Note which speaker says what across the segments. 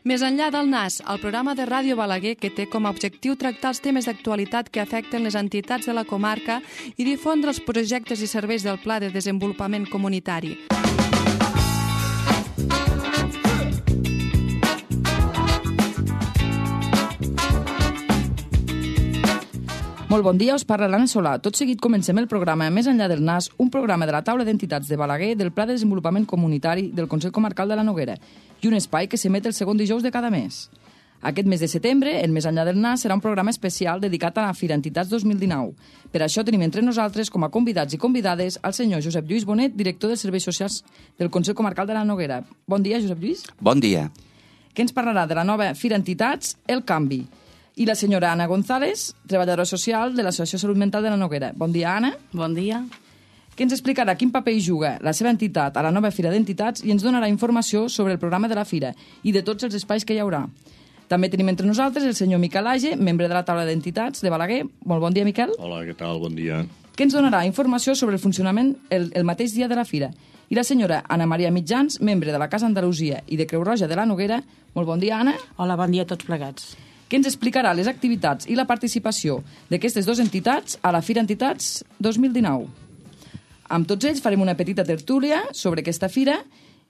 Speaker 1: Més enllà del NAS, el programa de Ràdio Balaguer que té com a objectiu tractar els temes d'actualitat que afecten les entitats de la comarca i difondre els projectes i serveis del Pla de Desenvolupament Comunitari.
Speaker 2: Molt bon dia, us parla l'Anna Solà. Tot seguit comencem el programa Més enllà del NAS, un programa de la taula d'entitats de Balaguer del Pla de Desenvolupament Comunitari del Consell Comarcal de la Noguera i un espai que s'emet el segon dijous de cada mes. Aquest mes de setembre, el Més enllà del NAS serà un programa especial dedicat a la Fira Entitats 2019. Per això tenim entre nosaltres com a convidats i convidades el senyor Josep Lluís Bonet, director dels Serveis Socials del Consell Comarcal de la Noguera. Bon dia, Josep Lluís.
Speaker 3: Bon dia.
Speaker 2: Que ens parlarà de la nova Fira Entitats, El Canvi. I la senyora Anna González, treballadora social de l'Associació Salut Mental de la Noguera. Bon dia, Anna.
Speaker 4: Bon dia.
Speaker 2: Que ens explicarà quin paper hi juga la seva entitat a la nova Fira d'Entitats i ens donarà informació sobre el programa de la Fira i de tots els espais que hi haurà. També tenim entre nosaltres el senyor Miquel Age, membre de la taula d'entitats de Balaguer. Molt bon dia, Miquel.
Speaker 5: Hola, què tal? Bon dia.
Speaker 2: Que ens donarà informació sobre el funcionament el mateix dia de la Fira. I la senyora Anna Maria Mitjans, membre de la Casa Andalusia i de Creu Roja de la Noguera. Molt bon dia, Anna.
Speaker 4: Hola, bon dia a tots plegats.
Speaker 2: Que ens explicarà les activitats i la participació d'aquestes dues entitats a la Fira Entitats 2019. Amb tots ells farem una petita tertúlia sobre aquesta fira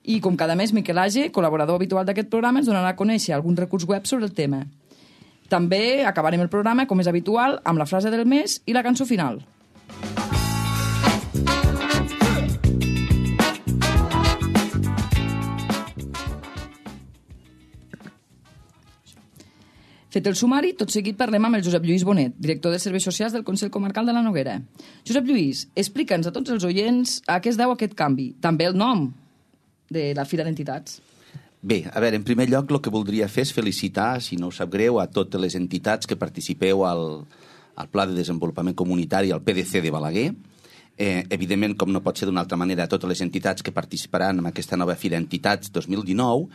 Speaker 2: i, com cada mes, Miquel Age, col·laborador habitual d'aquest programa, ens donarà a conèixer algun recurs web sobre el tema. També acabarem el programa, com és habitual, amb la frase del mes i la cançó final. Fet el sumari, tot seguit parlem amb el Josep Lluís Bonet, director de Serveis Socials del Consell Comarcal de la Noguera. Josep Lluís, explica'ns a tots els oients a què es deu aquest canvi, també el nom de la Fira d'Entitats.
Speaker 3: Bé, a veure, en primer lloc el que voldria fer és felicitar, si no us sap greu, a totes les entitats que participeu al Pla de Desenvolupament Comunitari, al PDC de Balaguer. Evidentment, com no pot ser d'una altra manera, a totes les entitats que participaran en aquesta nova Fira Entitats 2019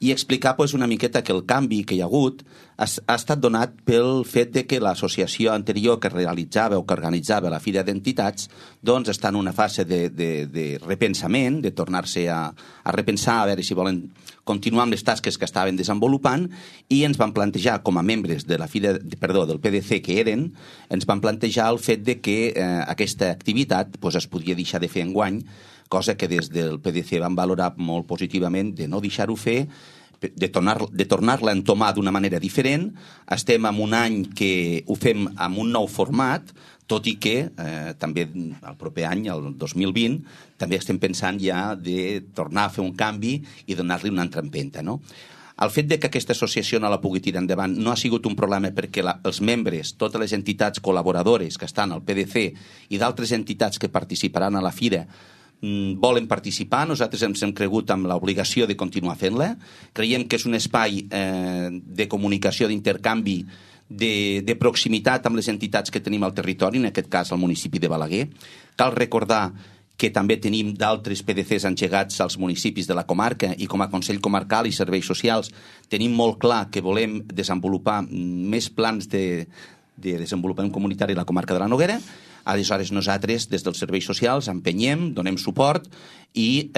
Speaker 3: i explicar una miqueta que el canvi que hi ha hagut ha estat donat pel fet de que l'associació anterior que realitzava o que organitzava la Fira d'Entitats doncs està en una fase de repensament, de tornar-se a repensar, a veure si volen continuar amb les tasques que estaven desenvolupant i ens van plantejar, com a membres de la Fira, del PDC que eren, ens van plantejar el fet de que aquesta activitat es podia deixar de fer enguany, cosa que des del PDC van valorar molt positivament de no deixar-ho fer, de tornar-la a entomar d'una manera diferent. Estem en un any que ho fem amb un nou format, tot i que també el proper any, el 2020, també estem pensant ja de tornar a fer un canvi i donar-li una altra empenta, no? El fet de que aquesta associació no la pugui tirar endavant no ha sigut un problema perquè els membres, totes les entitats col·laboradores que estan al PDC i d'altres entitats que participaran a la Fira volen participar. Nosaltres ens hem cregut amb l'obligació de continuar fent-la. Creiem que és un espai de comunicació, d'intercanvi, de proximitat amb les entitats que tenim al territori, en aquest cas al municipi de Balaguer. Cal recordar que també tenim d'altres PDCs engegats als municipis de la comarca i com a Consell Comarcal i Serveis Socials tenim molt clar que volem desenvolupar més plans de desenvolupament comunitari a la comarca de la Noguera. Aleshores nosaltres des dels serveis socials empenyem, donem suport i,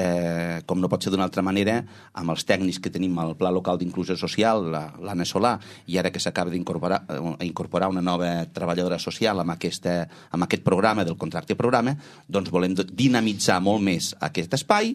Speaker 3: com no pot ser d'una altra manera, amb els tècnics que tenim al Pla Local d'Inclusió Social, l'Anna Solà, i ara que s'acaba d'incorporar una nova treballadora social amb aquest programa del contracte programa, doncs volem dinamitzar molt més aquest espai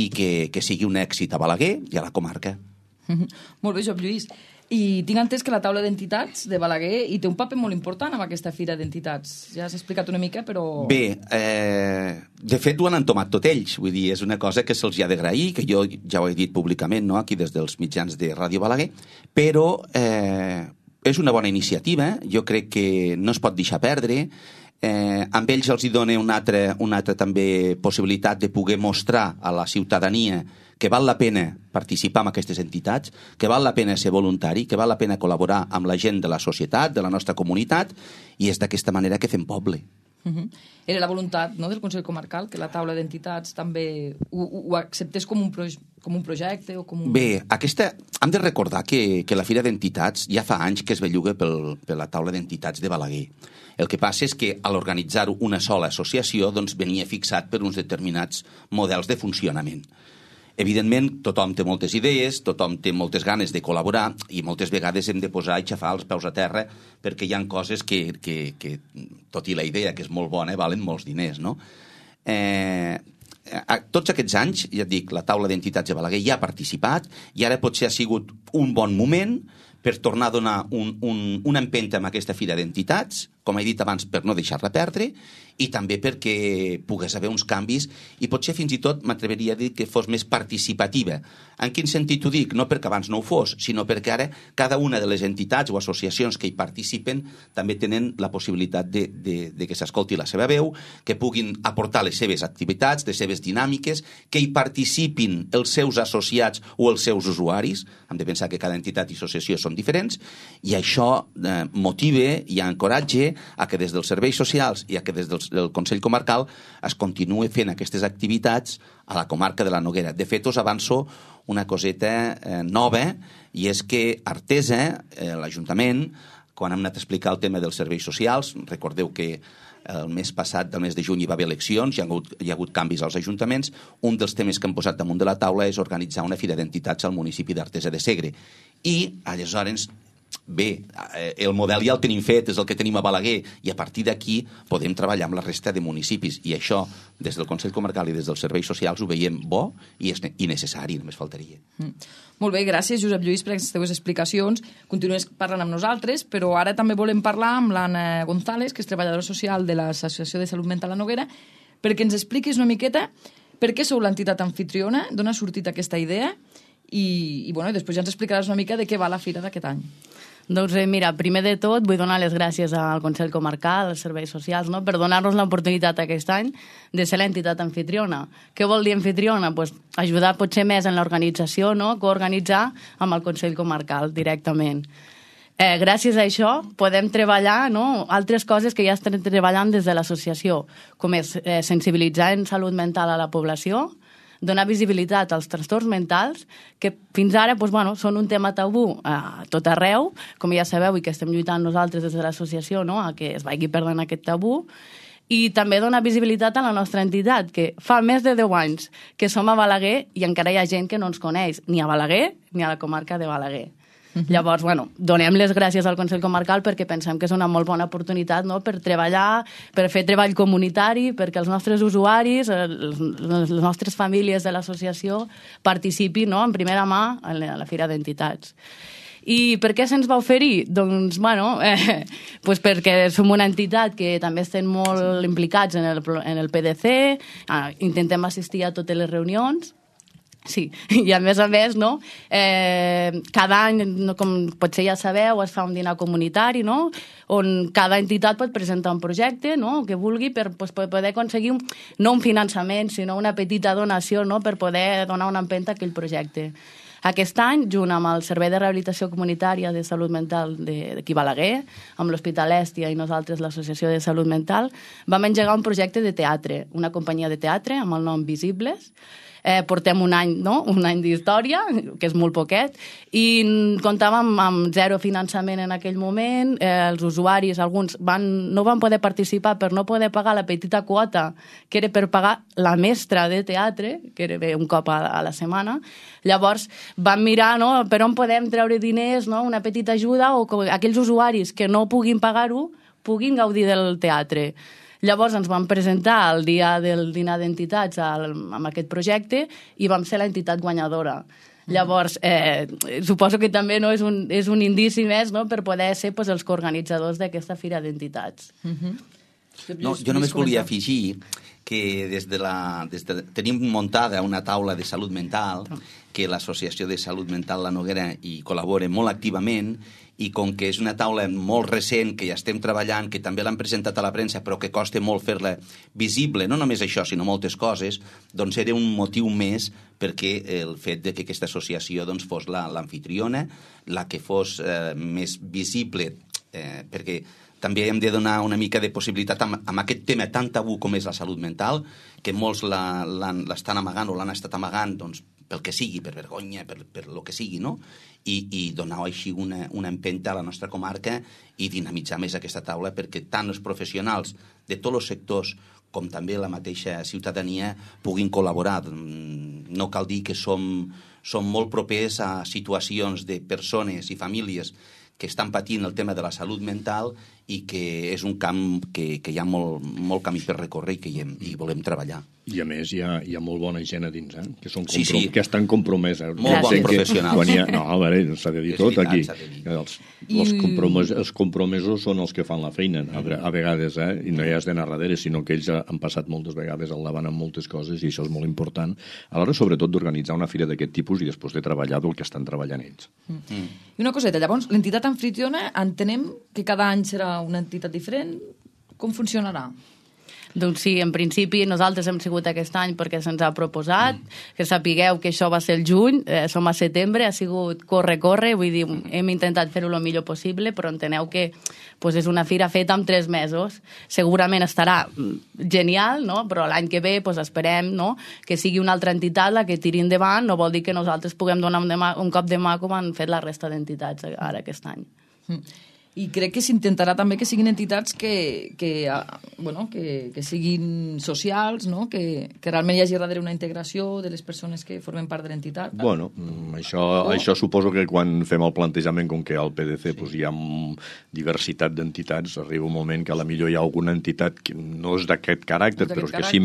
Speaker 3: i que sigui un èxit a Balaguer i a la comarca.
Speaker 2: Molt bé, Josep Lluís. I tinc entès que la taula d'entitats de Balaguer hi té un paper molt important amb aquesta Fira d'Entitats. Ja has explicat una mica, però...
Speaker 3: Bé, de fet ho han entomat tot ells. Vull dir, és una cosa que se'ls ha d'agrair, que jo ja ho he dit públicament, no?, aquí des dels mitjans de Ràdio Balaguer, però és una bona iniciativa. Jo crec que no es pot deixar perdre. Amb ells els hi dona una altra també possibilitat de poder mostrar a la ciutadania que val la pena participar en aquestes entitats, que val la pena ser voluntari, que val la pena col·laborar amb la gent de la societat, de la nostra comunitat, i és d'aquesta manera que fem poble.
Speaker 2: Era la voluntat, no?, del Consell Comarcal que la taula d'entitats també ho acceptés com un projecte o com un...
Speaker 3: Bé, hem de recordar que la Fira d'Entitats ja fa anys que es belluga per la taula d'entitats de Balaguer. El que passa és que a l'organitzar una sola associació doncs venia fixat per uns determinats models de funcionament. Evidentment, tothom té moltes idees, tothom té moltes ganes de col·laborar i moltes vegades hem de posar i xafar els peus a terra perquè hi ha coses que tot i la idea, que és molt bona, valen molts diners, no? Tots aquests anys, ja et dic, la taula d'entitats de Balaguer ja ha participat i ara potser ha sigut un bon moment per tornar a donar una empenta amb aquesta fira d'entitats, com he dit abans, per no deixar-la perdre, i també perquè pogués haver uns canvis i potser fins i tot m'atreveria a dir que fos més participativa. En quin sentit ho dic? No perquè abans no ho fos, sinó perquè ara cada una de les entitats o associacions que hi participen també tenen la possibilitat de que s'escolti la seva veu, que puguin aportar les seves activitats, les seves dinàmiques, que hi participin els seus associats o els seus usuaris. Hem de pensar que cada entitat i associació són diferents i això motiva i encoratge a que des dels serveis socials i a que des del Consell Comarcal es continuï fent aquestes activitats a la comarca de la Noguera. De fet, us avanço una coseta nova, i és que Artesa, l'Ajuntament, quan hem anat a explicar el tema dels serveis socials, recordeu que el mes passat, del mes de juny, hi va haver eleccions, hi ha hagut canvis als ajuntaments, un dels temes que hem posat damunt de la taula és organitzar una fira d'entitats al municipi d'Artesa de Segre. I, aleshores, bé, el model ja el tenim fet, és el que tenim a Balaguer, i a partir d'aquí podem treballar amb la resta de municipis, i això, des del Consell Comarcal i des dels serveis socials, ho veiem bo i necessari, només faltaria.
Speaker 2: Molt bé, gràcies, Josep Lluís, per aquestes teves explicacions. Continues parlant amb nosaltres, però ara també volem parlar amb l'Anna González, que és treballadora social de l'Associació de Salut Mental La Noguera, perquè ens expliquis una miqueta per què sou l'entitat anfitriona, d'on ha sortit aquesta idea, i després ja ens explicaràs una mica de què va la fira d'aquest any.
Speaker 4: Doncs mira, primer de tot vull donar les gràcies al Consell Comarcal, als serveis socials, no?, per donar-nos l'oportunitat aquest any de ser l'entitat anfitriona. Què vol dir anfitriona? Pues ajudar potser més en l'organització, no?, coorganitzar amb el Consell Comarcal directament. Gràcies a això podem treballar, no?, altres coses que ja estem treballant des de l'associació, com és sensibilitzar en salut mental a la població, donar visibilitat als trastorns mentals, que fins ara són un tema tabú a tot arreu, com ja sabeu, i que estem lluitant nosaltres des de l'associació, no?, a que es vagi perdent aquest tabú, i també donar visibilitat a la nostra entitat, que fa més de 10 anys que som a Balaguer i encara hi ha gent que no ens coneix, ni a Balaguer ni a la comarca de Balaguer. Llavors, donem les gràcies al Consell Comarcal perquè pensem que és una molt bona oportunitat, no?, per treballar, per fer treball comunitari, perquè els nostres usuaris, les nostres famílies de l'associació participin, no?, en primera mà a la Fira d'Entitats. I per què se'ns va oferir? Doncs, pues perquè som una entitat que també estem molt implicats en el PDC, intentem assistir a totes les reunions. Sí, i a més, no?, cada any, com potser ja sabeu, es fa un dinar comunitari, no?, on cada entitat pot presentar un projecte, no?, que vulgui per poder aconseguir no un finançament, sinó una petita donació, no?, per poder donar una empenta a aquell projecte. Aquest any, junt amb el Servei de Rehabilitació Comunitària de Salut Mental d'aquí Balaguer, amb l'Hospital Èstia i nosaltres, l'Associació de Salut Mental, vam engegar un projecte de teatre, una companyia de teatre amb el nom Visibles. Portem un any d'història, que és molt poquet, i comptàvem amb zero finançament en aquell moment. Els usuaris, alguns, no van poder participar per no poder pagar la petita quota, que era per pagar la mestra de teatre, que era un cop a la setmana. Llavors vam mirar, no?, per on podem treure diners, no?, una petita ajuda, o que aquells usuaris que no puguin pagar-ho puguin gaudir del teatre. Llavors ens vam presentar el dia del dinar d'entitats amb aquest projecte i vam ser l'entitat guanyadora. Llavors, suposo que també és un indici més, no?, per poder ser els coorganitzadors d'aquesta fira d'entitats.
Speaker 3: No, jo només volia afegir que tenim muntada una taula de salut mental, que l'Associació de Salut Mental La Noguera hi col·labora molt activament, i com que és una taula molt recent, que ja estem treballant, que també l'han presentat a la premsa, però que costa molt fer-la visible, no només això, sinó moltes coses, doncs era un motiu més perquè el fet de que aquesta associació fos l'anfitriona, la que fos més visible, perquè també hem de donar una mica de possibilitat amb aquest tema tan tabú com és la salut mental, que molts l'estan amagant o l'han estat amagant, pel que sigui, per vergonya, per lo que sigui, no? I donar així una empenta a la nostra comarca i dinamitzar més aquesta taula, perquè tant els professionals de tots els sectors com també la mateixa ciutadania puguin col·laborar. No cal dir que som molt propers a situacions de persones i famílies que estan patint el tema de la salut mental i que és un camp que hi ha molt camí per recórrer i que hi volem treballar.
Speaker 5: I a més hi ha molt bona gent a dins, que
Speaker 3: estan
Speaker 5: compromeses.
Speaker 3: Molt bons professionals.
Speaker 5: A veure, s'ha de dir tot aquí. Els compromesos són els que fan la feina, a vegades, i no hi has d'anar darrere, sinó que ells han passat moltes vegades al davant amb moltes coses i això és molt important. A l'hora, sobretot, d'organitzar una fira d'aquest tipus i després de treballar del que estan treballant ells.
Speaker 2: I una coseta, llavors, l'entitat anfitriona entenem que cada any serà una entitat diferent. Com funcionarà?
Speaker 4: Doncs sí, en principi nosaltres hem sigut aquest any perquè se'ns ha proposat, que sapigueu que això va ser el juny, som a setembre, ha sigut corre, vull dir, hem intentat fer-ho el millor possible, però enteneu que és una fira feta en 3 mesos. Segurament estarà genial, no? Però l'any que ve esperem que sigui una altra entitat la que tiri endavant, no vol dir que nosaltres puguem donar un cop de mà com han fet la resta d'entitats ara aquest any.
Speaker 2: I crec que s'intentarà també que siguin entitats que siguin socials, no? Que realment hi hagi darrere una integració de les persones que formen part de l'entitat.
Speaker 5: Bueno, això suposo que quan fem el plantejament, com que al PDC hi ha diversitat d'entitats, arriba un moment que a la millor hi ha alguna entitat que no és d'aquest caràcter, però que si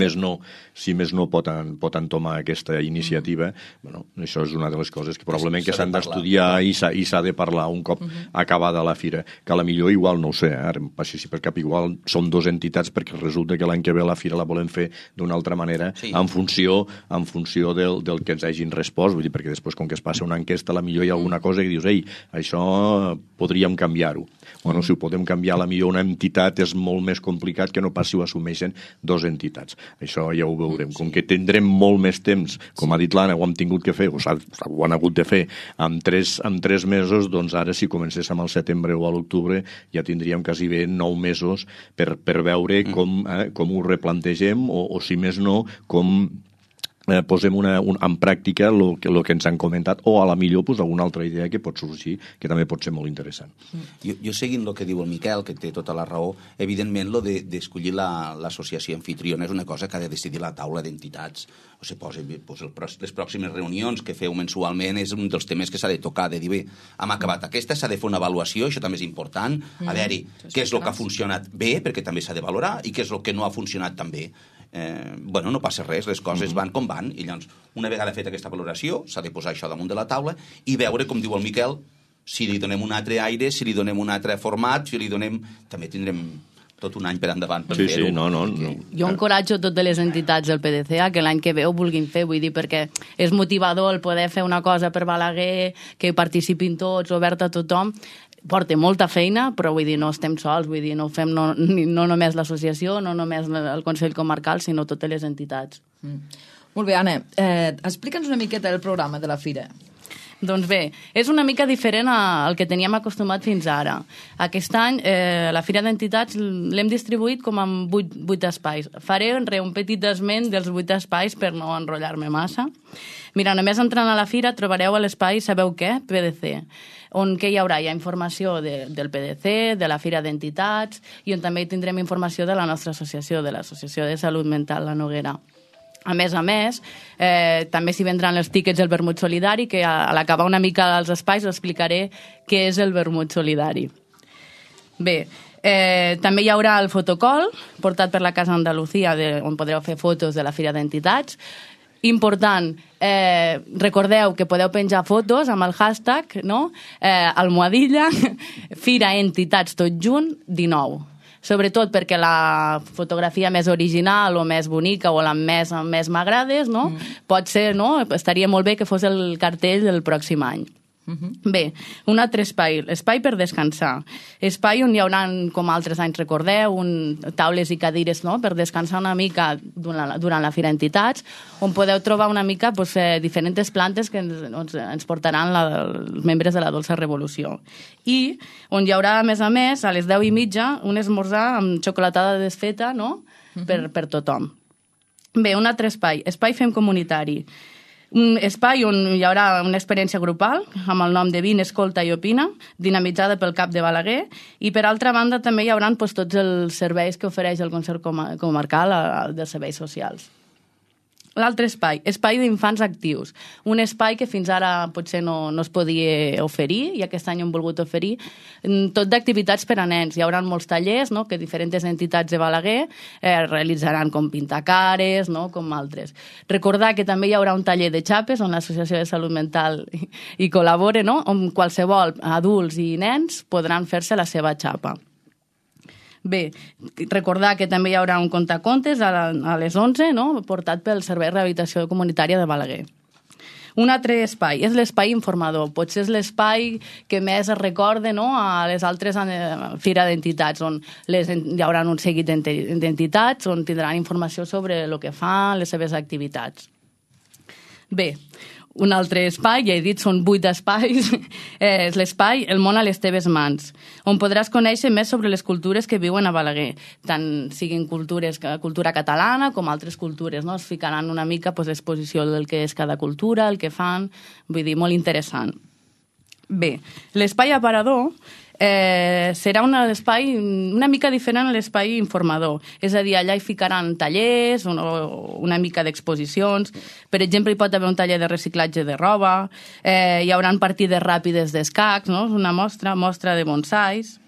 Speaker 5: més no pot entomar aquesta iniciativa. Això és una de les coses que probablement que s'han d'estudiar i s'ha de parlar un cop acabada la fira. Que a la millor igual, no ho sé, ara em passi per cap, igual som 2 entitats perquè resulta que l'any que ve la fira la volem fer d'una altra manera en funció del que ens hagin respost, vull dir, perquè després com que es passa una enquesta a la millor hi ha alguna cosa que dius, això podríem canviar-ho. Bueno, si ho podem canviar, a la millor una entitat és molt més complicat que no pas si ho assumeixen 2 entitats. Això ja ho veurem. Com que tindrem molt més temps, com ha dit l'Anna, ho hem tingut que fer, ho han hagut de fer en 3 mesos, doncs ara si comencéssim al setembre o a l'octubre ja tindríem quasi bé 9 mesos per veure com ho replantegem o si més no, com posem en pràctica el que ens han comentat o a la millor alguna altra idea que pot sorgir que també pot ser molt interessant.
Speaker 3: Jo seguint el que diu el Miquel, que té tota la raó, evidentment el d'escollir l'associació anfitriona és una cosa que ha de decidir la taula d'entitats. Les pròximes reunions que feu mensualment és un dels temes que s'ha de tocar, de dir, bé, hem acabat aquesta, s'ha de fer una avaluació, això també és important, a veure què és el que ha funcionat bé, perquè també s'ha de valorar, i què és el que no ha funcionat tan bé. No passa res, les coses van com van, i llavors, una vegada feta aquesta valoració, s'ha de posar això damunt de la taula i veure, com diu el Miquel, si li donem un altre aire, si li donem un altre format, si li donem... També tindrem tot un any per endavant per fer-ho.
Speaker 4: Jo encoratjo totes les entitats del PDC a que l'any que ve ho vulguin fer, vull dir, perquè és motivador el poder fer una cosa per Balaguer, que participin tots, obert a tothom. Porta molta feina, però vull dir, no estem sols, vull dir, no ho fem no només l'associació, no només el Consell Comarcal, sinó totes les entitats.
Speaker 2: Molt bé, Anna, explica'ns una miqueta el programa de la fira.
Speaker 4: Doncs bé, és una mica diferent al que teníem acostumat fins ara. Aquest any la Fira d'Entitats l'hem distribuït com en 8 espais. Faré un petit esment dels 8 espais per no enrotllar-me massa. Mira, només entrant a la fira trobareu a l'espai, sabeu què? PDC, on què hi haurà? Hi ha informació del PDC, de la Fira d'Entitats, i on també tindrem informació de la nostra associació, de l'Associació de Salut Mental La Noguera. A més, també s'hi vendran els tíquets del vermut solidari, que a l'acabar una mica dels espais us explicaré què és el vermut solidari. Bé, també hi haurà el fotocall, portat per la Casa Andalucía, on podreu fer fotos de la Fira d'Entitats. Important, recordeu que podeu penjar fotos amb el hashtag, almohadilla, Fira Entitats tot junt 19. Sobretot perquè la fotografia més original o més bonica o la més m'agrades, pot ser, estaria molt bé que fos el cartell del pròxim any. Bé, un altre espai per descansar. Espai on hi haurà, com altres anys recordeu, taules i cadires per descansar una mica durant la Fira d'Entitats, on podeu trobar una mica diferents plantes que ens portaran els membres de la Dolça Revolució. I on hi haurà, a més, a les 10:30, un esmorzar amb xocolatada desfeta per tothom. Bé, un altre espai Fem Comunitari. Un espai on hi haurà una experiència grupal amb el nom de Vine, Escolta i Opina, dinamitzada pel CAP de Balaguer, i per altra banda també hi haurà tots els serveis que ofereix el Consell Comarcal dels serveis socials. L'altre espai d'infants actius. Un espai que fins ara potser no es podia oferir i aquest any hem volgut oferir tot d'activitats per a nens. Hi haurà molts tallers, no?, que diferents entitats de Balaguer realitzaran, com pintacares, no?, com altres. Recordar que també hi haurà un taller de xapes on l'Associació de Salut Mental hi col·labora, no?, on qualsevol adults i nens podran fer-se la seva xapa. Bé, recordar que també hi haurà un contacontes a les 11, no?, portat pel Servei de Rehabilitació Comunitària de Balaguer. Un altre espai és l'espai informador. Potser és l'espai que més es recorda, no?, a les altres fires d'entitats, on hi haurà un seguit d'entitats on tindran informació sobre el que fan, les seves activitats. Bé, un altre espai, ja he dit, són 8 espais, és l'espai El món a les teves mans, on podràs conèixer més sobre les cultures que viuen a Balaguer, tant siguin cultura catalana com altres cultures, no? Es ficaran una mica l'exposició del que és cada cultura, el que fan, vull dir, molt interessant. Bé, l'espai aparador serà un espai una mica diferent a l'espai informador. És a dir, allà hi ficaran tallers, una mica d'exposicions. Per exemple, hi pot haver un taller de reciclatge de roba, hi haurà partides ràpides d'escacs, no?, una mostra de bonsais.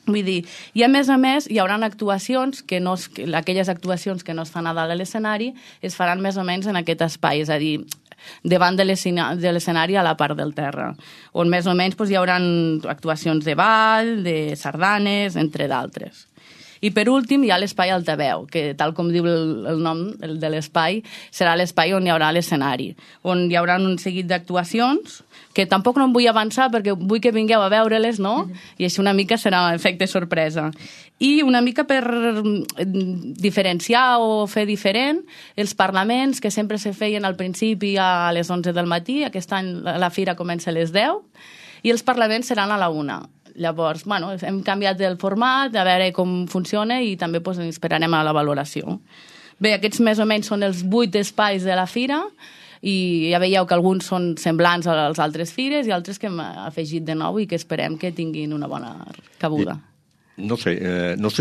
Speaker 4: Vull dir, i a més, hi haurà actuacions aquelles actuacions que no es fan a dalt a l'escenari es faran més o menys en aquest espai, és a dir, davant de l'escenari a la part del terra, on més o menys hi haurà actuacions de ball, de sardanes, entre d'altres. I per últim hi ha l'espai Altaveu, que tal com diu el nom de l'espai, serà l'espai on hi haurà l'escenari, on hi haurà un seguit d'actuacions, que tampoc no em vull avançar perquè vull que vingueu a veure-les, no? I així una mica serà efecte sorpresa. I una mica per diferenciar o fer diferent els parlaments que sempre se feien al principi a les 11 del matí, aquest any la fira comença a les 10, i els parlaments seran a la 1. Llavors, hem canviat el format, a veure com funciona i també esperarem a la valoració. Bé, aquests més o menys són els 8 espais de la fira i ja veieu que alguns són semblants als altres fires i altres que hem afegit de nou i que esperem que tinguin una bona cabuda.
Speaker 5: No sé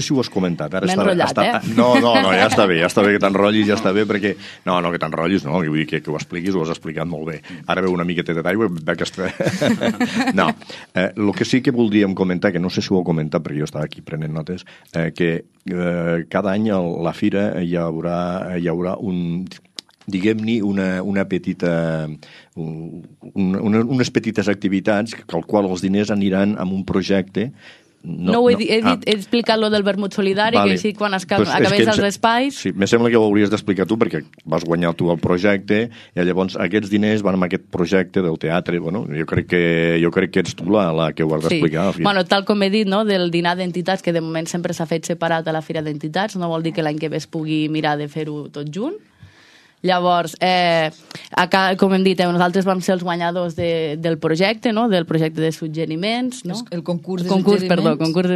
Speaker 5: si ho has comentat.
Speaker 4: M'he enrotllat,
Speaker 5: No, ja està bé que t'enrotllis, ja està bé, perquè... No, que t'enrotllis, no, vull dir que ho expliquis, ho has explicat molt bé. Ara veu una miqueta d'aigua, No, el que sí que voldríem comentar, que no sé si ho heu comentat, perquè jo estava aquí prenent notes, que cada any a la fira hi haurà un... diguem-ne, unes petites activitats que al qual els diners aniran amb un projecte.
Speaker 4: He explicat lo del vermut solidari, que així quan acabés els espais...
Speaker 5: Sí, me sembla que ho hauries d'explicar tu, perquè vas guanyar tu el projecte, i llavors aquests diners van amb aquest projecte del teatre. Bueno, jo crec que ets tu la que ho has d'explicar.
Speaker 4: Sí. Bueno, tal com he dit, no, del dinar d'entitats, que de moment sempre s'ha fet separat a la Fira d'Entitats, no vol dir que l'any que ve es pugui mirar de fer-ho tot junt. Llavors, com hem dit, nosaltres vam ser els guanyadors del projecte, no? Del projecte de suggeriments, no?
Speaker 2: El concurs de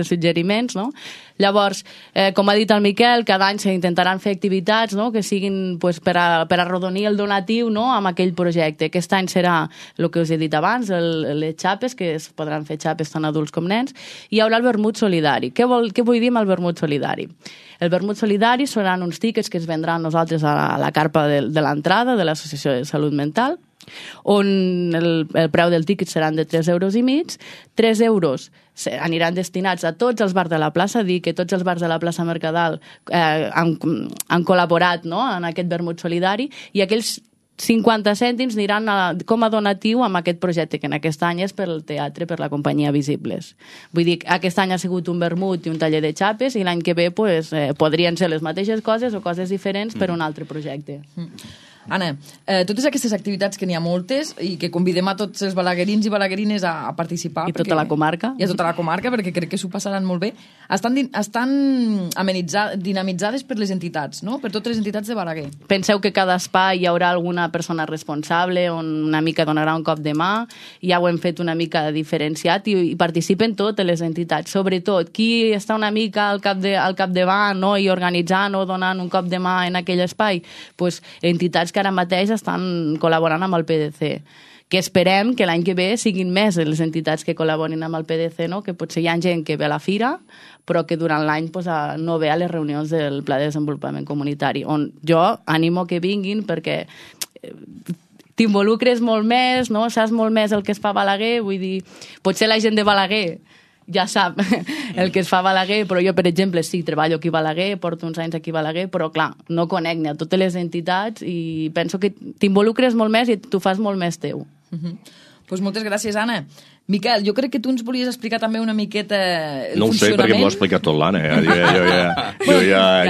Speaker 4: suggeriments, no? Llavors, com ha dit el Miquel, cada any s'intentaran fer activitats, no?, que siguin per arrodonir el donatiu, no?, amb aquell projecte. Aquest any serà el que us he dit abans, les xapes, que es podran fer xapes tant adults com nens, i hi haurà el vermut solidari. Què vull dir amb el vermut solidari? El vermut solidari seran uns tíquets que es vendran nosaltres a la carpa de l'entrada de l'Associació de Salut Mental, on el preu del tíquet seran de 3,5 €. 3 euros aniran destinats a tots els bars de la plaça, dir que tots els bars de la plaça Mercadal han col·laborat, no?, en aquest vermut solidari, i aquells 50 cèntims aniran com a donatiu amb aquest projecte, que en aquest any és per al teatre, per la companyia Visibles. Vull dir, aquest any ha sigut un vermut i un taller de xapes, i l'any que ve podrien ser les mateixes coses o coses diferents per un altre projecte.
Speaker 2: Anna, totes aquestes activitats, que n'hi ha moltes, i que convidem a tots els balaguerins i balaguerines a participar.
Speaker 4: I tota la comarca.
Speaker 2: I a tota la comarca, perquè crec que s'ho passaran molt bé. Estan dinamitzades per les entitats, no? Per totes les entitats de Balaguer.
Speaker 4: Penseu que cada espai hi haurà alguna persona responsable, on una mica donarà un cop de mà, ja ho hem fet una mica diferenciat, i participen totes les entitats. Sobretot, qui està una mica al capdavant, no?, i organitzant o donant un cop de mà en aquell espai? Entitats que ara mateix estan col·laborant amb el PDC, que esperem que l'any que ve siguin més les entitats que col·laborin amb el PDC, no? Que potser hi ha gent que ve a la fira, però que durant l'any no ve a les reunions del Pla de Desenvolupament Comunitari, on jo animo que vinguin perquè t'involucres molt més, no? Saps molt més el que es fa a Balaguer, vull dir, potser la gent de Balaguer ja sap el que es fa a Balaguer, però jo, per exemple, sí, treballo aquí a Balaguer, porto uns anys aquí a Balaguer, però clar, no conec ni a totes les entitats i penso que t'involucres molt més i t'ho fas molt més teu.
Speaker 2: Pues moltes gràcies, Anna. Miquel, jo crec que tu ens volies explicar també una miqueta el
Speaker 5: no ho sé, perquè m'ho ha explicat tot l'Anna.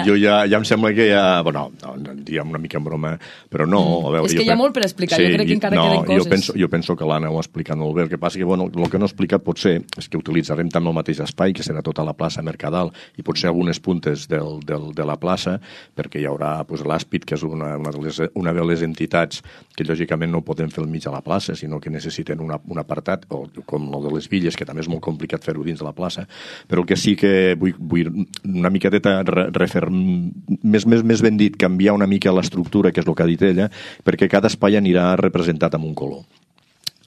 Speaker 5: Jo ja em sembla que ja... Bueno, diguem una mica en broma, però no. A veure,
Speaker 2: és que hi ha molt per explicar, jo crec que encara queden coses.
Speaker 5: Jo penso que l'Anna ho ha explicat molt bé. El que passa que, bueno, el que no ha explicat potser és que utilitzarem també el mateix espai, que serà tota la plaça Mercadal, i potser algunes puntes de la plaça, perquè hi haurà l'Àspid, que és una de les entitats que lògicament no podem fer al mig de la plaça, sinó que necessiten un apartat, o com el de les Villes, que també és molt complicat fer-ho dins de la plaça, però el que sí que vull una miqueteta més ben dit, canviar una mica l'estructura, que és el que ha dit ella, perquè cada espai anirà representat amb un color.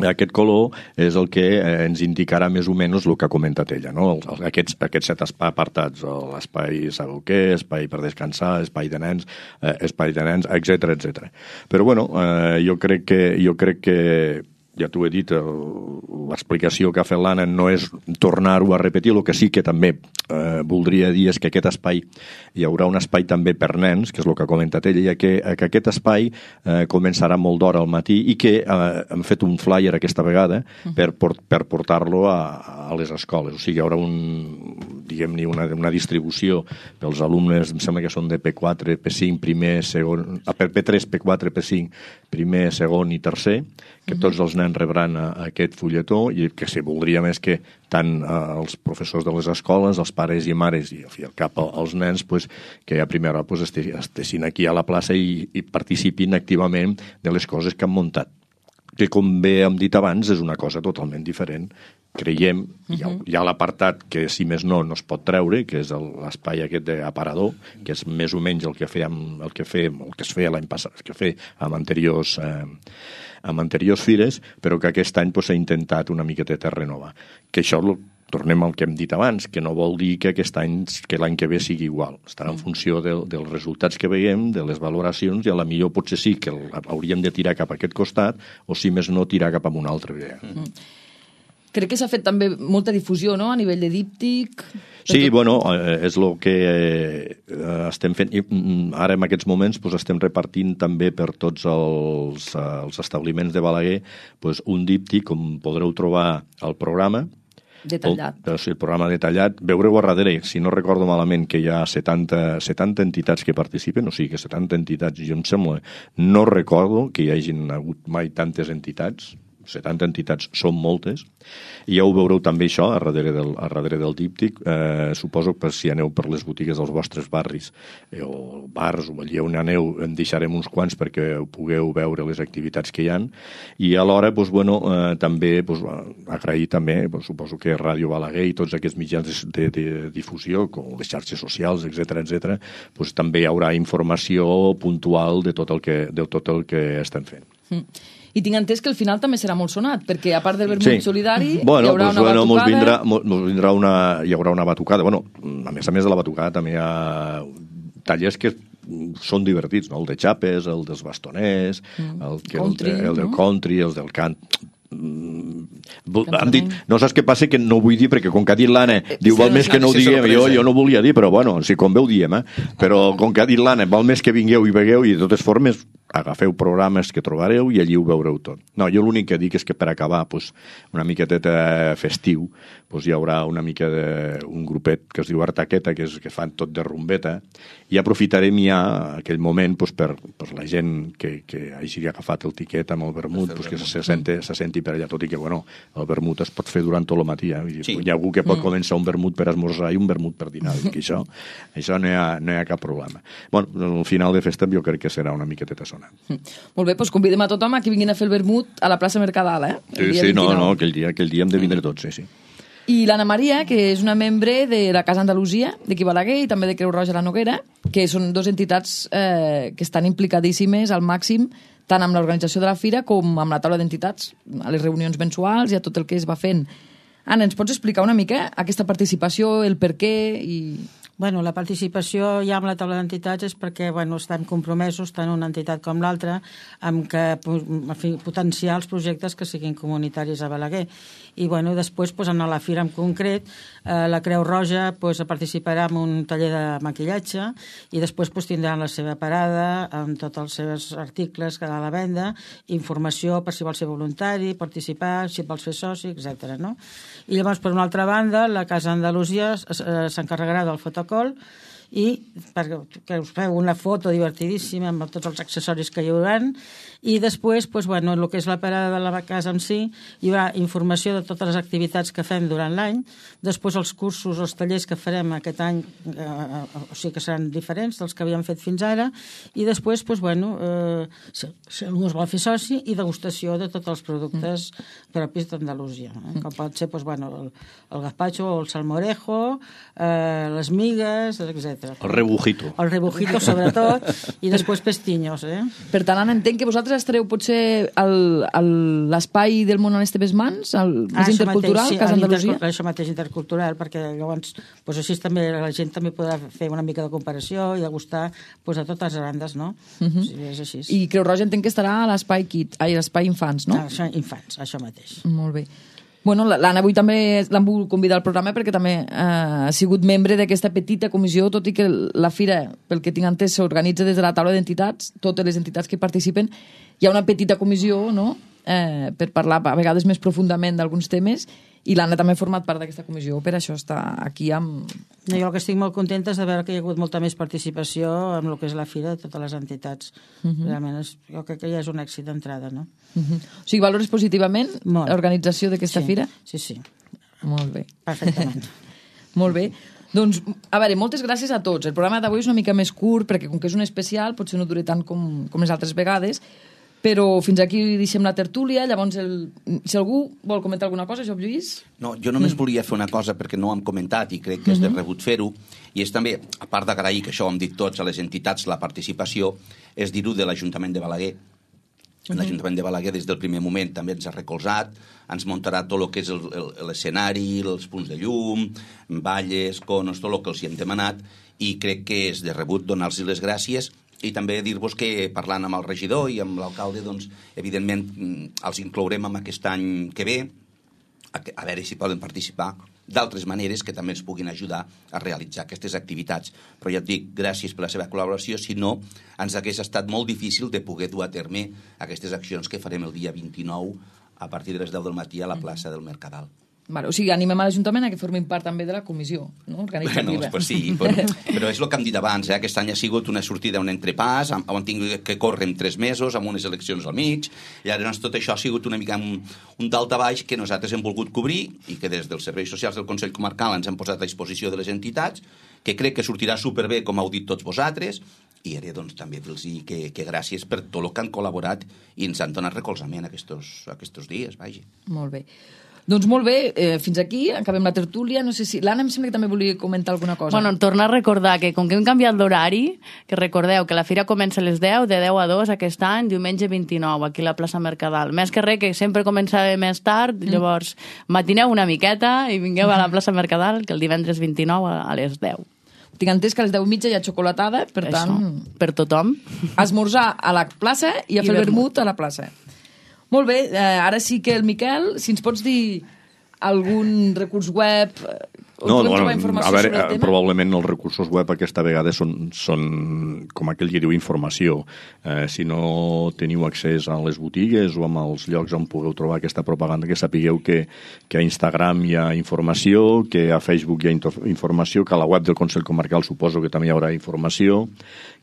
Speaker 5: Aquest color és el que ens indicarà més o menys el que ha comentat ella, no? Aquests 7 apartats, l'espai saber-ho-què, espai per descansar, espai de nens, etc. Però bueno, jo crec que ja t'ho he dit, l'explicació que ha fet l'Anna no és tornar-ho a repetir, el que sí que també voldria dir és que aquest espai, hi haurà un espai també per nens, que és el que ha comentat ella, i que aquest espai començarà molt d'hora al matí i que hem fet un flyer aquesta vegada per portar-lo a les escoles. O sigui, hi haurà diguem-ne una distribució pels alumnes, em sembla que són de P4, P5, primer, segon, P3, P4, P5, primer, segon i tercer, que tots els nens rebran aquest fulletó i que si voldria més que tant els professors de les escoles, els pares i mares i al cap els nens, que a primera hora estessin aquí a la plaça i participin activament de les coses que han muntat. Que com bé hem dit abans és una cosa totalment diferent. Creiem, hi ha l'apartat que si més no es pot treure, que és l'espai aquest d'aparador, que és més o menys el que es feia l'any passat, el que feia amb anteriors fires, però que aquest any s'ha intentat una miqueteta renovar. Que això, tornem al que hem dit abans, que no vol dir que l'any que ve sigui igual. Estarà en funció dels resultats que veiem, de les valoracions, i a la millor potser sí que hauríem de tirar cap a aquest costat, o si més no, tirar cap a una altra idea.
Speaker 2: Crec que s'ha fet també molta difusió, no?, a nivell de díptic.
Speaker 5: Sí, bueno, és el que estem fent. Ara, en aquests moments, estem repartint també per tots els establiments de Balaguer un díptic, com podreu trobar al programa.
Speaker 2: Detallat.
Speaker 5: El programa detallat. Veureu a darrere, si no recordo malament, que hi ha 70 entitats que participen, o sigui que 70 entitats, jo em sembla, no recordo que hi hagin hagut mai tantes entitats, 70 entitats són moltes, i ja ho veureu també això a darrere del díptic. Suposo que si aneu per les botigues dels vostres barris o bars o allà on aneu en deixarem uns quants perquè pugueu veure les activitats que hi ha, i alhora també agrair també, suposo que Ràdio Balaguer i tots aquests mitjans de difusió, com les xarxes socials, etc., també hi haurà informació puntual de tot el que estem fent.
Speaker 2: I tinc entès que al final també serà molt sonat, perquè a part del vermut solidari hi haurà una batucada. Hi haurà una batucada. A més de la batucada també hi ha tallers que són divertits, no? El de xapes, el dels bastoners, el del country, el del cant. Han dit, no saps què passa, que no vull dir perquè com que ha dit l'Anna diu val més que no ho diguem, jo no volia dir, però si com bé ho diem, però com que ha dit l'Anna val més que vingueu i vegueu, i de totes formes agafeu programes que trobareu i allí ho veureu tot. No, jo l'únic que dic és que per acabar una miqueteta festiu hi haurà una mica d'un grupet que es diu Artaqueta, que fan tot de rumbeta, i aprofitarem ja aquell moment per la gent que hagi agafat el tiquet amb el vermut, que se senti per allà, tot i que el vermut es pot fer durant tot el matí. Hi ha algú que pot començar un vermut per esmorzar i un vermut per dinar, que això no hi ha cap problema. Al final de festa jo crec que serà una miqueteta sonant. Molt bé, convidem a tothom a que vinguin a fer el vermut a la plaça Mercadal,
Speaker 5: Sí, aquell dia hem de vindre tots, sí.
Speaker 2: I l'Anna Maria, que és una membre de la Casa Andalusia, d'aquí Balaguer, i també de Creu Roja a la Noguera, que són dues entitats que estan implicadíssimes al màxim, tant amb l'organització de la fira com amb la taula d'entitats, a les reunions mensuals i a tot el que es va fent. Anna, ens pots explicar una mica aquesta participació, el per què i...
Speaker 6: Bueno, la participació ja amb la taula d'entitats és perquè estem compromesos, tant una entitat com l'altra, amb potenciar els projectes que siguin comunitaris a Balaguer. I després, en la fira en concret, la Creu Roja participarà en un taller de maquillatge i després tindran la seva parada amb tots els seus articles que ha a la venda, informació per si vol ser voluntari, participar, si vols fer soci, etc. No? I llavors, per una altra banda, la Casa Andalusia s'encarregarà del fotocol i perquè us feu una foto divertidíssima amb tots els accessoris que hi haurà, i després, el que és la parada de la casa en si, hi haurà informació de totes les activitats que fem durant l'any, després els cursos, els tallers que farem aquest any, o sigui que seran diferents dels que havíem fet fins ara, i després, si algú es vol fer soci, i degustació de tots els productes propis d'Andalusia, com pot ser el gazpacho o el salmorejo, les migues, etc.
Speaker 5: El rebujito.
Speaker 6: El rebujito, sobretot, i després pestinyos.
Speaker 2: Per tant, Anna, entenc que vosaltres estareu potser a l'espai del món a les teves mans, més intercultural, Casa Andalusia?
Speaker 6: Això mateix, intercultural, perquè llavors així també la gent també podrà fer una mica de comparació i degustar a totes les bandes, no? És així.
Speaker 2: I Creu Roja entenc que estarà a l'espai infants, no?
Speaker 6: Infants, això mateix.
Speaker 2: Molt bé. Bueno, l'Anna avui també l'han volgut convidar al programa perquè també ha sigut membre d'aquesta petita comissió, tot i que la fira, pel que tinc entès, s'organitza des de la taula d'entitats, totes les entitats que participen. Hi ha una petita comissió, no?, per parlar a vegades més profundament d'alguns temes, i l'Anna també ha format part d'aquesta comissió, per això està aquí amb...
Speaker 6: Jo el que estic molt contenta és de veure que hi ha hagut molta més participació en el que és la fira de totes les entitats. Realment jo crec que ja és un èxit d'entrada, no?
Speaker 2: O sigui, valores positivament l'organització d'aquesta fira?
Speaker 6: Sí.
Speaker 2: Molt bé.
Speaker 6: Perfectament.
Speaker 2: Molt bé. Doncs, a veure, moltes gràcies a tots. El programa d'avui és una mica més curt, perquè com que és un especial, potser no dura tant com les altres vegades, però fins aquí deixem la tertúlia. Llavors, si algú vol comentar alguna cosa, Job Lluís?
Speaker 3: No, jo només volia fer una cosa perquè no ho hem comentat i crec que és de rebut fer-ho, i és també, a part d'agrair, que això ho hem dit tots a les entitats, la participació, és dir-ho de l'Ajuntament de Balaguer. L'Ajuntament de Balaguer des del primer moment també ens ha recolzat, ens muntarà tot el que és l'escenari, els punts de llum, balles, conos, tot el que els hi hem demanat, i crec que és de rebut donar-los les gràcies. I també dir-vos que parlant amb el regidor i amb l'alcalde, doncs, evidentment, els inclourem en aquest any que ve, a veure si poden participar d'altres maneres que també ens puguin ajudar a realitzar aquestes activitats. Però ja et dic, gràcies per la seva col·laboració, si no, ens hagués estat molt difícil de poder dur a terme aquestes accions que farem el dia 29 a partir de les 10 del matí a la plaça del Mercadal.
Speaker 2: Vale, o sigui, animem a l'Ajuntament a que formin part també de la comissió, no? Organitzativa.
Speaker 3: Bueno, pues sí, però és el que hem dit abans, aquest any ha sigut una sortida, un entrepàs, on tinc que córrer en 3 mesos, amb unes eleccions al mig, i llavors tot això ha sigut una mica un daltabaix que nosaltres hem volgut cobrir i que des dels serveis socials del Consell Comarcal ens hem posat a disposició de les entitats, que crec que sortirà superbé, com heu dit tots vosaltres, i ara doncs, també dir-los que gràcies per tot el que han col·laborat i ens han donat recolzament aquests dies, vaja.
Speaker 2: Molt bé. Doncs molt bé, fins aquí, acabem la tertúlia. No sé si... L'Anna em sembla que també volia comentar alguna cosa.
Speaker 4: Bueno, tornar a recordar que com que hem canviat l'horari, que recordeu que la fira comença a les 10, de 10 a 2 aquest any, diumenge 29, aquí a la plaça Mercadal. Més que res, que sempre començava més tard, llavors matineu una miqueta i vingueu a la plaça Mercadal, que el divendres 29 a les 10.
Speaker 2: Tinc entès que a les 10:30 hi ha xocolatada, per tant...
Speaker 4: Per tothom.
Speaker 2: Esmorzar a la plaça i a fer el vermut a la plaça. Molt bé, ara sí que el Miquel, si ens pots dir algun recurs web...
Speaker 5: No, a veure, probablement els recursos web aquesta vegada són com aquell que diu informació. Si no teniu accés a les botigues o als llocs on pugueu trobar aquesta propaganda, que sapigueu que a Instagram hi ha informació, que a Facebook hi ha informació, que a la web del Consell Comarcal suposo que també hi haurà informació,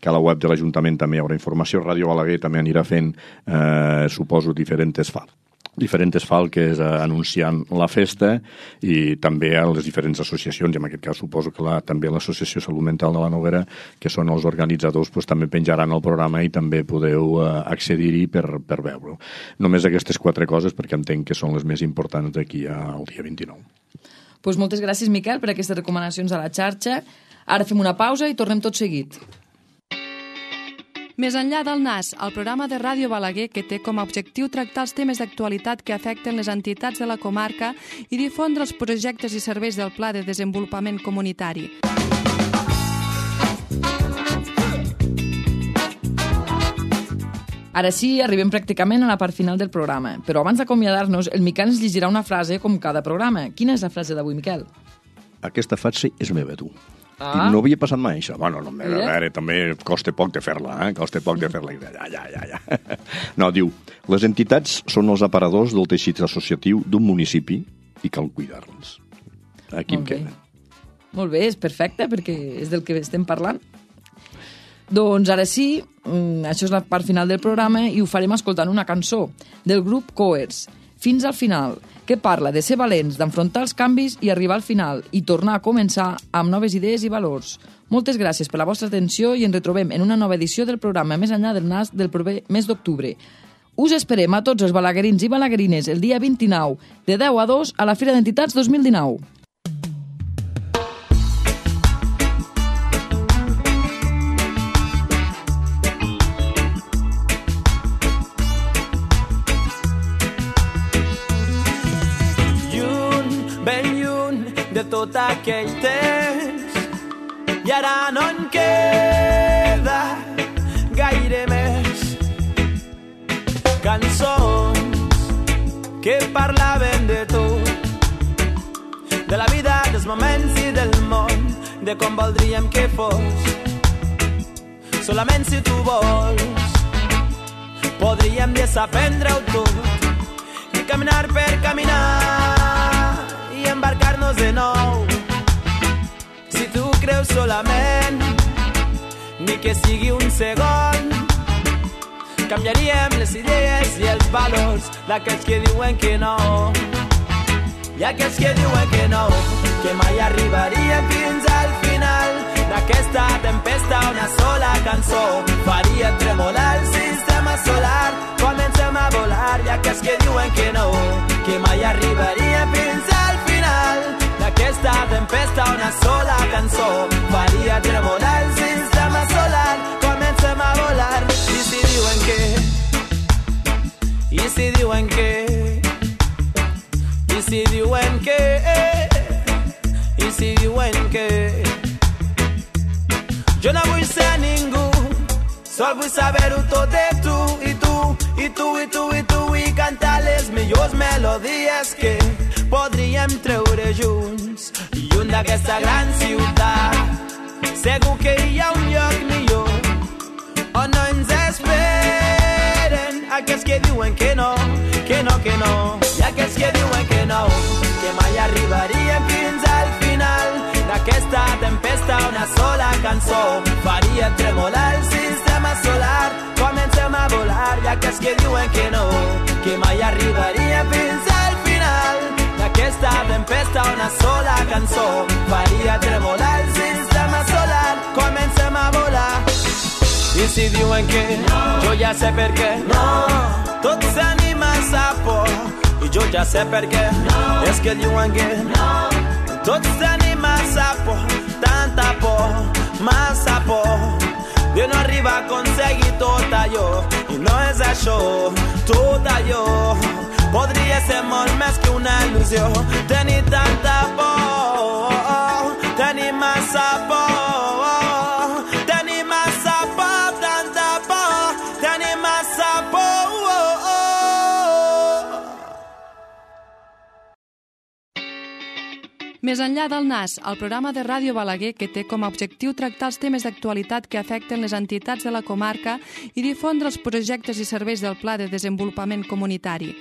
Speaker 5: que a la web de l'Ajuntament també hi haurà informació, Ràdio Balaguer també anirà fent, suposo, diferents falques anunciant la festa, i també a les diferents associacions, i en aquest cas suposo que també l'Associació Salut Mental de la Noguera, que són els organitzadors, també penjaran el programa i també podeu accedir-hi per veure-ho. Només aquestes 4 coses, perquè entenc que són les més importants d'aquí al dia 29.
Speaker 2: Pues moltes gràcies, Miquel, per aquestes recomanacions a la xarxa. Ara fem una pausa i tornem tot seguit.
Speaker 1: Més enllà del NAS, el programa de Ràdio Balaguer, que té com a objectiu tractar els temes d'actualitat que afecten les entitats de la comarca i difondre els projectes i serveis del Pla de Desenvolupament Comunitari.
Speaker 2: Ara sí, arribem pràcticament a la part final del programa, però abans d'acomiadar-nos, el Miquel ens llegirà una frase com cada programa. Quina és la frase d'avui, Miquel?
Speaker 5: Aquesta frase és meva, tu. No havia passat mai, això. Bueno, no, a veure, també costa poc de fer-la, Costa poc de fer-la. Ja. No, diu, les entitats són els aparadors del teixit associatiu d'un municipi i cal cuidar-los. Aquí em queda.
Speaker 2: Molt bé, és perfecte, perquè és del que estem parlant. Doncs ara sí, això és la part final del programa i ho farem escoltant una cançó del grup Coers, Fins al final, que parla de ser valents, d'enfrontar els canvis i arribar al final i tornar a començar amb noves idees i valors. Moltes gràcies per la vostra atenció i ens retrobem en una nova edició del programa Més enllà del NAS del proper mes d'octubre. Us esperem a tots els balaguerins i balaguerines el dia 29, de 10 a 2, a la Fira d'Entitats 2019.
Speaker 7: Tot aquell temps i ara no en queda gaire més. Cançons que parlaven de tu, de la vida, dels moments i del món, de com voldríem que fos. Solament si tu vols podríem desaprendre-ho tot i caminar per caminar i embarcar-nos de nou. Si tu creus solament, ni que sigui un segon, canviaríem les idees i els valors d'aquells que diuen que no. I aquells que diuen que no, que mai arribaríem fins al final d'aquesta tempesta. Una sola cançó faria tremolar el sistema solar. Comencem a volar. I aquells que diuen que no, que mai arribaríem fins al final d'aquesta tempesta. Una sola cançó faria tremolar el sistema solar. Comencem a volar. I si diuen que, i si diuen que, i si diuen que, i si diuen que, jo no vull ser ningú, sol vull saber-ho tot de tu, i tu, i tu, i tu, i tu, i cantar les millors melodies que podríem treure junts. Lluny d'aquesta gran ciutat, segur que hi ha un lloc millor on no ens esperen aquells que diuen que no, que no, que no. I aquells que diuen que no, que mai arribaríem fins al final d'aquesta tempesta. Una sola cançó faria tremolar el sistema solar. Comencem a volar. I aquells que diuen que no, que mai arribaríem fins al final d'aquesta tempesta. Una sola cançó faria tremolar el sistema solar. Comencem a volar. I si diuen que no, jo ja sé per què no, tot s'anima a sa por. I jo ja sé per què no, és que diuen que no, tot s'anima a sa por. Tanta por, massa por de no arribar a aconseguir tot allò. I no és això, tot allò podria ser molt més que una il·lusió. Tenir tanta por, tenir massa por, tenir massa por, tanta por, tenir massa por.
Speaker 1: Més enllà del NAS, el programa de Ràdio Balaguer, que té com a objectiu tractar els temes d'actualitat que afecten les entitats de la comarca i difondre els projectes i serveis del Pla de Desenvolupament Comunitari.